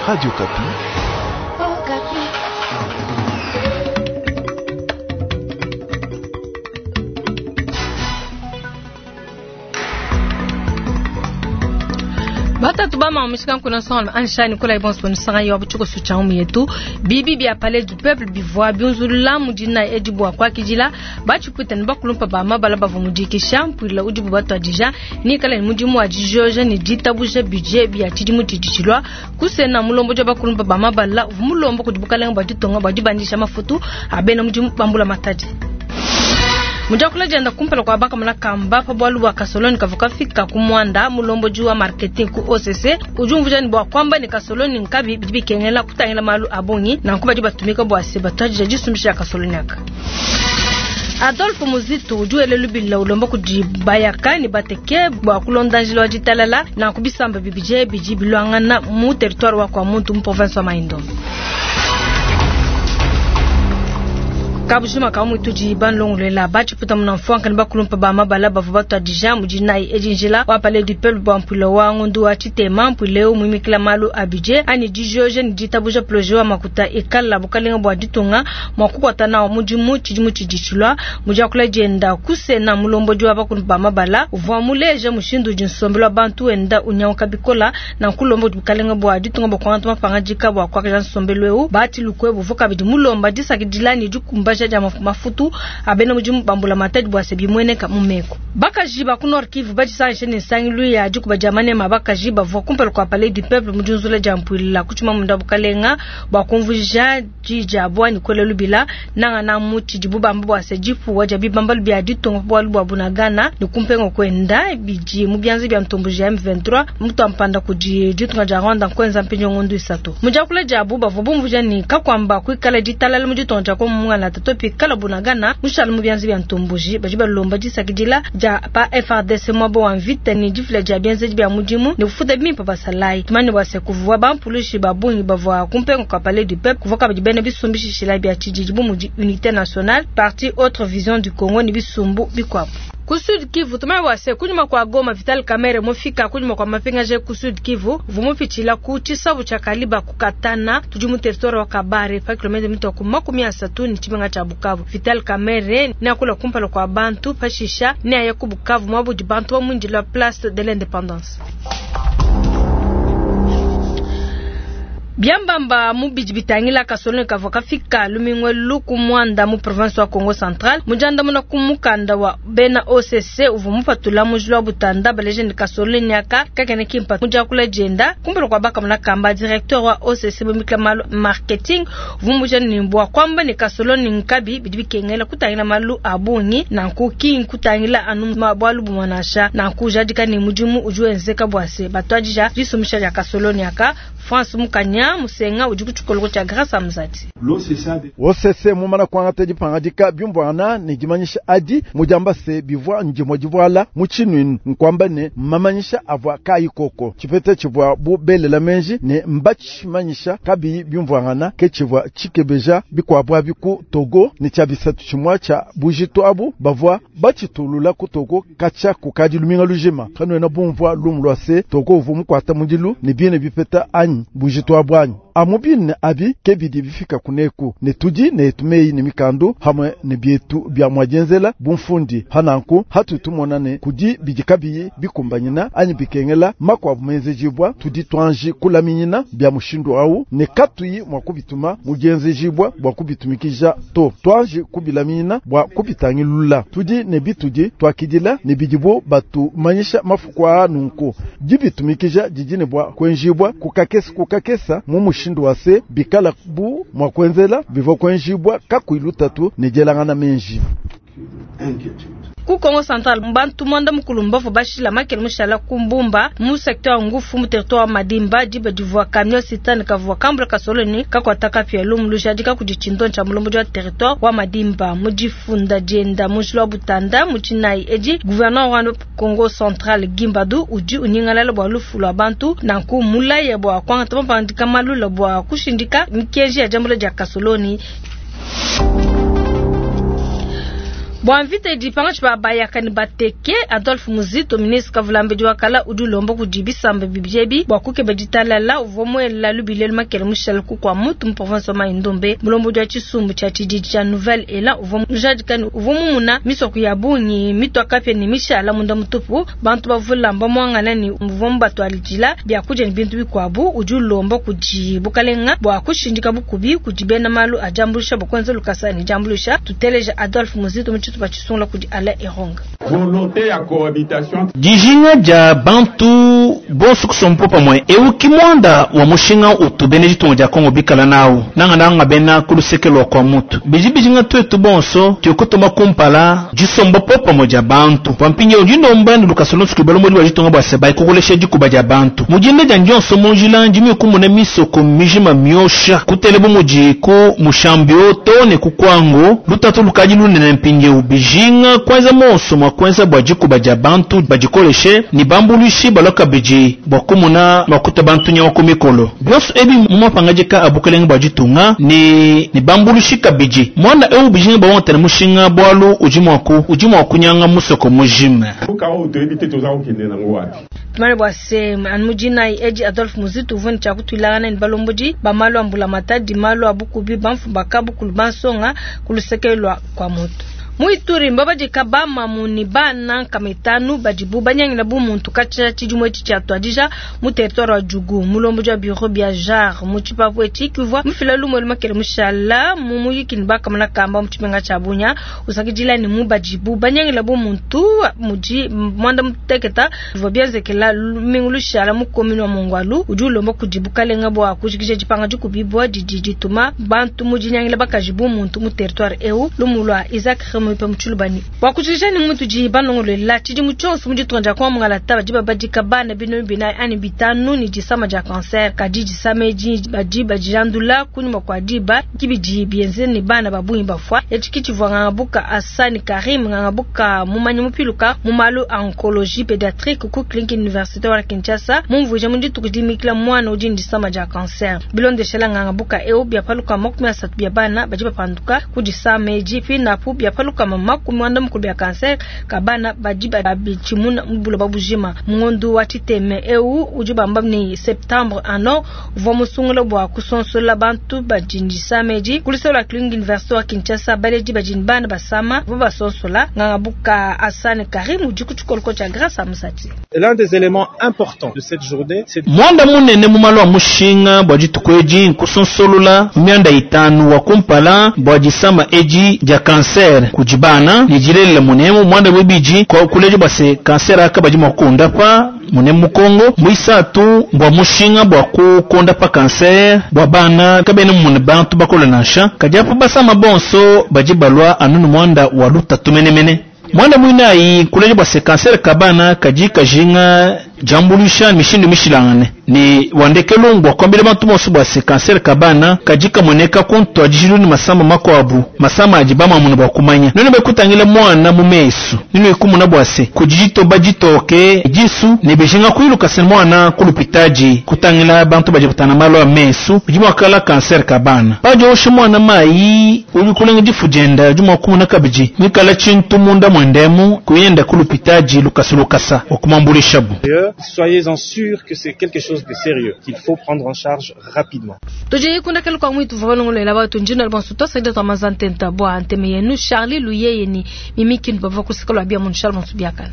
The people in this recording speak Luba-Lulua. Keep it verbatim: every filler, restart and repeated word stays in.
Radio Okapi. Batatu ba mamisika nkuna songa anshani kula ibons bonisanga yo buchuko sucha umu yetu bibi bya palais du peuple bivwa byunzulula mudina edibwa kwa kijila bachipwita ni bakulumpa ba mabala bava mudikisha mpwila udibu batwadija ni kala ni mudimu wa dijoja ni ditabuje budget bya tshidimu tshiditshilwa kusena mulombo ja bakulumpa ba mabala mulombo kudibukalenga bwa ditonga bwa dibandisha mafutu abena mudimu bambula matadi. Mujakula jenda kumpala kwa baka muna kamba pa bwalu bwa kasoloni kavuka fika kumwanda mulombo juwa marketing ku O C C ujumvuja ni bwa kwamba ni kasoloni nkabi bibi kengela kutangela malu abongi na nkuba diba tumika bwa se batwaji jisumbisha kasoloni aka. Adolphe Muzito ujuele lubila ulombo kujibayaka ni bateke bwa kulonda njilo wa jitalala na kubisamba bibije biji bilwangana mu territoire wa kwa muntu mu province wa Maindombe. Kabujuma ka mutuji banlonglela bachiputa munamfwanka ni bakulumpa ba mabala bava batwadija mujinai ejinjila wa palais du peuple bwa mpwilo wa ngundu wa chitema mpwileo mwimikila malu abije ani dijoje ni ditabuja projet wa makuta ekala bukalenga bwa ditunga mwakukwata na mudimu tshidimu tshiditshilwa mujakula jenda kusena mulombo jwa bakulumpa ba mabala uvwa muleja mushindu jinsombelwa bantu enda unyauka bikola na nkulombo bukalenga bwa ditunga bwa kwanta mapanga jika bwa kwakaja nsombelweu bati lukwe buvuka bidi mulomba disakidilani dikumba ja mafutu abena mujimu bambula matadi bwa sebi mweneka mumeko bakaji ba ku Nord Kivu bajisanishe ne nsangilu ya dikuba dia manema bakaji bavua kumpala kwa palais du peuple mujunzula dia mpwilila kuchuma munda bukalenga bwa kumvuja dija bwa ni kwele lubila nanga na muchi dibubamba bwa se dipuwa dia bibambalu bia ditonga bwalu bwa bunagana ni kumpengo kwenda biji mu byanzi bya ntombo ya M vingt-trois mutu ampanda kudi ditunga dia Rwanda kwenza mpinjo ngondu isatu mujakula jabu bavua bumvuja ni kakwamba kwikala ditalala mu ditonga dia komungana topi kala bunagana mushala mu byanzi bya ntomboji baji balomba disakidila ja pa F R D C mwabo wa mvita ni difila dia byanzi bya mudimu ni kufuta bimpa basalai tumani bwase kuvua bampulushi babungi bavua kumpengo kwa palais du peuple kuvuka badi bene bisumbishishila bya tshididi bu mudi unité nationale parti autre vision du Congo ni bisumbu bikwabo. Ku Sud Kivu tumai wase kunyuma kwa Goma Vital Kamerhe mufika kunyuma kwa mapingaje ku Sud Kivu vumupitila ku chisabu cha Kaliba kukatana tudi mu territoire wa Kabare pa kilomita mito ku makumi asatu ni chimenga cha Bukavu. Vital Kamerhe ni akula kumpala kwa bantu pashisha ni aya ku Bukavu mwabudi bantu wa mwindi la place de l'indépendance. Biambamba mubiji bitangila kasoloni kavua kafika lumingwe luku mwanda mu province wa Congo Central mujanda muna kumukanda wa bena O C C uvu mupatula mujulu wa butanda baleje ni kasoloni nyaka kakene kimpa mujakula jenda kumbelo kwa baka muna kamba directeur wa O C C bumikla malu marketing uvu muja ni mbwa kwamba ni kasoloni nkabi bidi bikengela kutangila malu abungi na nkuki nkutangila anu mabwalu bumanasha na nkujadika ni mudimu ujuenzeka bwase batwadija jisumisha ya kasoloni yaka France Mukanya Musenga udi kutshikoloko tshia Grâce Amzati. O C C mumana kwangata dipangadika byumvwana ne dimanyisha adi mujamba se bivwa ndimo divwala mutshinwinu nkwamba ne mamanyisha avwa kayi koko tshipete tshivwa bubelela menji ne mbatshimanyisha kabiyi byumvwangana ke tshivwa tshikebeja bikwabwa biku Togo ne tshia bisatu tshimwa tshia bujitu abu bavwa batshitulula ku Togo katsha kukadi luminga lujima kanwena bumvwa lumu lwa se Togo uvu mukwata mudilu ne biene bipeta anyi bujitu abu anyi amubine abi kebidi bifika kuneku ne tudi ne tumei ne mikandu hamwe ne bietu bya mwajenzela bumfundi hananku hatutumona ne kudi bidikabiyi bikumbanyina anyi bikengela makwabu menzejibwa tudi twanji kulaminyina bya mushindu awu ne katuyi mwa kubituma mujenzejibwa bwa kubitumikija to twanji kubilaminyina bwa kubitangilula tudi ne bitudi twakidila ne bidibo batu manyisha mafukwa nunku dibitumikija didine bwa kwenjibwa kukakesa kukakesa mu mushindu wase bikala bu mwakwenzela bivo kwenjibwa kakuilutatu ne jelangana menji. Ku Congo Central mbantu mwanda mukulu mbavu bashila makele mushala kumbumba mu secteur wa ngufu mu territoire wa Madimba diba divua camion citerne kavua kambula kasoloni kakwata pia lumu lujadika kudi tshindo tsha mulombo wa territoire wa Madimba mujifunda dienda mujilo wa Butanda mujinai edi gouverneur wa Congo Central Gimbadu udi unyingalala bwa lufu lwa bantu nanku mulaya bwa kwangata mapandika malula bwa kushindika mikenji ya jambula dia kasoloni. Bua mvita idi pangatshi pa bayaka ne bateke, Adolphe Muzito, ministre kavulambedi wa kala, udi ulomba kudi bisamba bibidi ebi bua kukeba ditalala. Uvua muela lubila lumakela mushala ku kwa mutu mu province wa Mai-Ndombe. Mulombodi wa tshisumbu tshia tshididi tshia Nouvelle Elan uvua mujadika ne uvua mumuna misoko ya bungi mitua kapia ne mishala munda mutupu. Bantu bavula mbamuangana ne uvua mubatuadila biakudia ne bintu bikuabu. Udi ulomba kudi bukalenga bua kushindika bukubi kudi bena malu a diambuluisha bua kuenza lukasa ne diambuluisha. Tuteleja Adolphe Muzito mu tshitupa tshisungula kudi Alain Eronga. Volonté ya cohabitation. Dijinga dia bantu bonso kusompo pamwe euki mwanda wa mushinga utubene ditunga dia Kongo bikala nawu nanga nanga bena kulusekelo kwa mutu biji bijinga twetu bonso tukutuma kumpala jisombo po pamwe dia bantu pampinge ujindomba ni lukasolo tukibalo muri wa ditunga bwa seba ikukolesha dikuba dia bantu mujinde dia ndionso munjila ndimi kumuna misoko mijima myosha kutele bumuji ku mushambio tone kukwango lutatu lukaji lunene mpinge ubijinga kwanza monso mwa kwanza bwa dikuba dia bantu bajikoleshe ni bambuluishi baloka biji bwa kumuna makuta bantu nyawa kumikolo byonso ebi mumapangajika abukelenge bwa ditunga ni ni bambuluishi kabiji mwana eu bijinga bawantana mushinga bwalu uji mwaku uji mwakunyanga musoko mujima Tumane bwa se anmujina eji Adolphe Muzito uvuni cha kutwilangana ni balombodi ba malu ambula matadi malu abukubi bamfumba kabukulu bansonga kulusekelwa kwa moto. Muituri mbabadika bamamu ni bana nkamitanu badibu banyangila bu muntu kacha tshidimwe tshi atwadija mu territoire wa Djugu mulombo ja bureau bia jar mu tshipapu etshi kivua mufila lumwe lumakele mushala mu muyiki ni bakamana kamba mu tshimenga tshia Bunia usakidila ni mu badibu banyangila bu muntu muji mwanda muteketa bivua bienzekela lumingu lushala mu commune wa Mongwalu udi ulomba kudi bukalenga bua kujikija dipanga dikubibwa didi dituma bantu mu dinyangila bakaji bu muntu mu territoire eu lumulwa Isaac Remo mutshulubani wakujija ni muntu ji banongolela tshidi mutshonso mu ditunga dia kwa mungalata badi babadika bana bino bina ani bitanu ni disama dia cancer kadi disame ji badi bajandula kunyuma kwa diba kibidi bienze ni bana babunyi bafwa yachikiti buka Asani Karim ngangabuka mumanyi mupiluka mu malu oncologie pédiatrique ku clinique université wa Kinshasa mumvuje mu dituku dimikila mwana udi disama dia cancer bilondeshela ngangabuka eu byapaluka makumi asatu bya bana badi bapanduka ku disame ji pinapu byapaluka mama kumwanda mukulu ya cancer kabana badi babichimuna mbulo babujima mungondu wa titeme eu udi bamba ni septembre ano uvua musungula bua kusonsola bantu bajindisa meji kulisola clinique université wa Kinshasa baleji bajini bana basama bo basonsola ngangabuka Asane Karim udi kutshikoloko tshia Grâce Amusati. L'un des éléments importants de cette journée c'est mwanda munene mumalo wa mushinga bwa dituku kusonsolola myanda itanu wa kumpala bwa disama eji dia cancer kujibana nijilelela munemu mwanda bwibiji kwa kuleje base cancer akabaji mwakunda pa munemu Kongo mwisatu bwa mushinga bwa kukonda pa cancer bwa bana kabene mune bantu bakola nasha kajapo basama bonso bajibalwa anunu mwanda wa lutatu menemene mwanda mwinayi kuleje bwase cancer kabana kaji kajinga jambulisha mishindu mishilangane ni wandekelo ngwa kwambile bantu bonso bwase cancer kabana kaji kamoneka konto ajilu ni masamba makwabu masamba ajibama muno bwakumanya none bekutangila mwana mu mesu nino ikumuna bwase kujijito bajitoke jisu ni bejinga kwiluka sen mwana kulupitaji kutangila bantu bajibutana malo ya mesu jimwakala cancer kabana pajo oshe mwana mayi uli kulenga jifujenda jumwa kumuna kabiji mikala chintu munda mwendemu kuyenda kulupitaji lukasulukasa okumambulisha bu. Soyez-en sûrs que c'est quelque chose de sérieux qu'il faut prendre en charge rapidement. Tuje kunda kelu kwa mwitu valongolela batu njina bonso tosaida twamazantenta bwa nteme yenu Charlie Luyeye ni mimi kindu bava kusikalo abia mun Charles Bonso biakana.